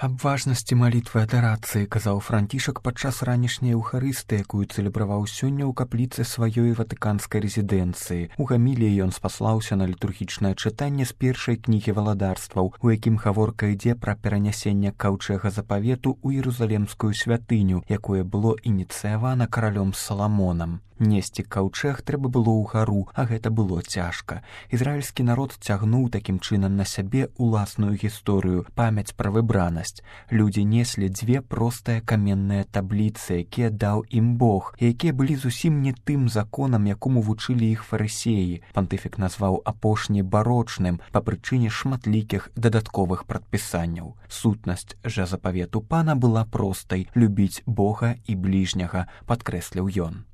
Аб важнасці малітвы адарацыі казаў Францішак падчас ранішняй еўхарыстыі, якую цэлебраваў сёння ў капліцы сваёй ватыканскай рэзідэнцыі. У гаміліі ён спаслаўся на літургічнае чытанне з першай кнігі валадарстваў, у якім гаворка ідзе пра перанясенне каўчэга запавету ў Іерусалемскую святыню, якое было ініцыявана каралём Саламонам. Несці каўчэг трэба было ўгару, а гэта было цяжка. Ізраільскі народ цягнуў такім чынам на сябе уласную гісторыю, памяць пра выбранасць. Людзі неслі дзве простыя каменныя табліцы, якія даў ім Бог, і якія былі зусім не тым законам, якому вучылі іх фарысеі. Пантыфік назваў апошні барочным па прычыне шматлікіх дадатковых прадпісанняў. Сутнасць жа запавету пана была простай — любіць Бога і бліжняга, падкрэсліў ён.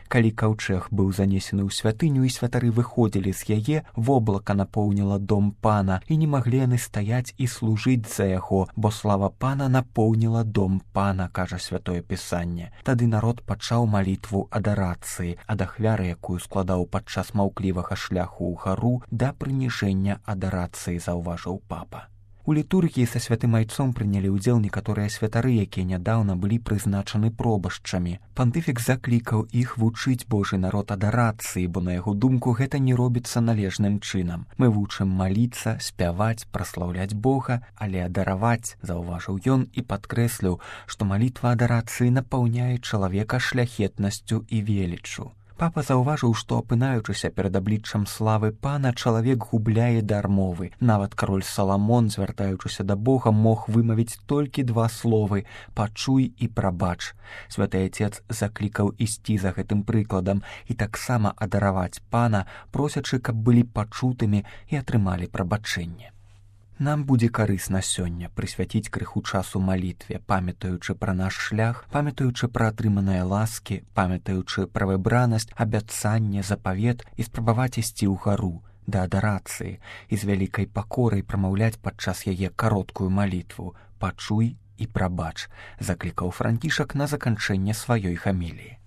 Калі каўчэг быў занесены ў святыню і святары выходзілі з яе, воблака напоўніла дом пана, і не маглі яны стаяць і служыць за яго, бо слава пана напоўніла дом пана, кажа святое пісанне. Тады народ пачаў малітву адарацыі, ад ахвяры, якую складаў падчас маўклівага шляху ў гару, да прыніжэння адарацыі, заўважыў папа. У літургіі са святым айцом прынялі ўдзел некаторыя святары, якія нядаўна былі прызначаны пробашчамі. Пантыфік заклікаў іх вучыць Божы народ адарацыі, бо на яго думку гэта не робіцца належным чынам. Мы вучым маліцца, спяваць, праслаўляць Бога, але адараваць, заўважыў ён і падкрэсліў, што малітва адарацыі напаўняе чалавека шляхетнасцю і веліччу. Папа заўважыў, што, апынаючыся перад абліччам славы пана, чалавек губляе дар мовы. Нават кароль Саламон, звяртаючыся да Бога, мог вымавіць толькі два словы — «пачуй» і «прабач». Святы Айцец заклікаў ісці за гэтым прыкладам і таксама адараваць пана, просячы, каб былі пачутымі і атрымалі прабачэнне. Нам будзе карысна сёння прысвяціць крыху часу малітве, памятаючы пра наш шлях, памятаючы пра атрыманыя ласкі, памятаючы пра выбранасць, абяцанне, запавет і спрабаваць ісці ў гару, да адарацыі, і з вялікай пакорай прамаўляць падчас яе кароткую малітву «Пачуй» і «прабач», заклікаў Францішак на заканчэнне сваёй гаміліі.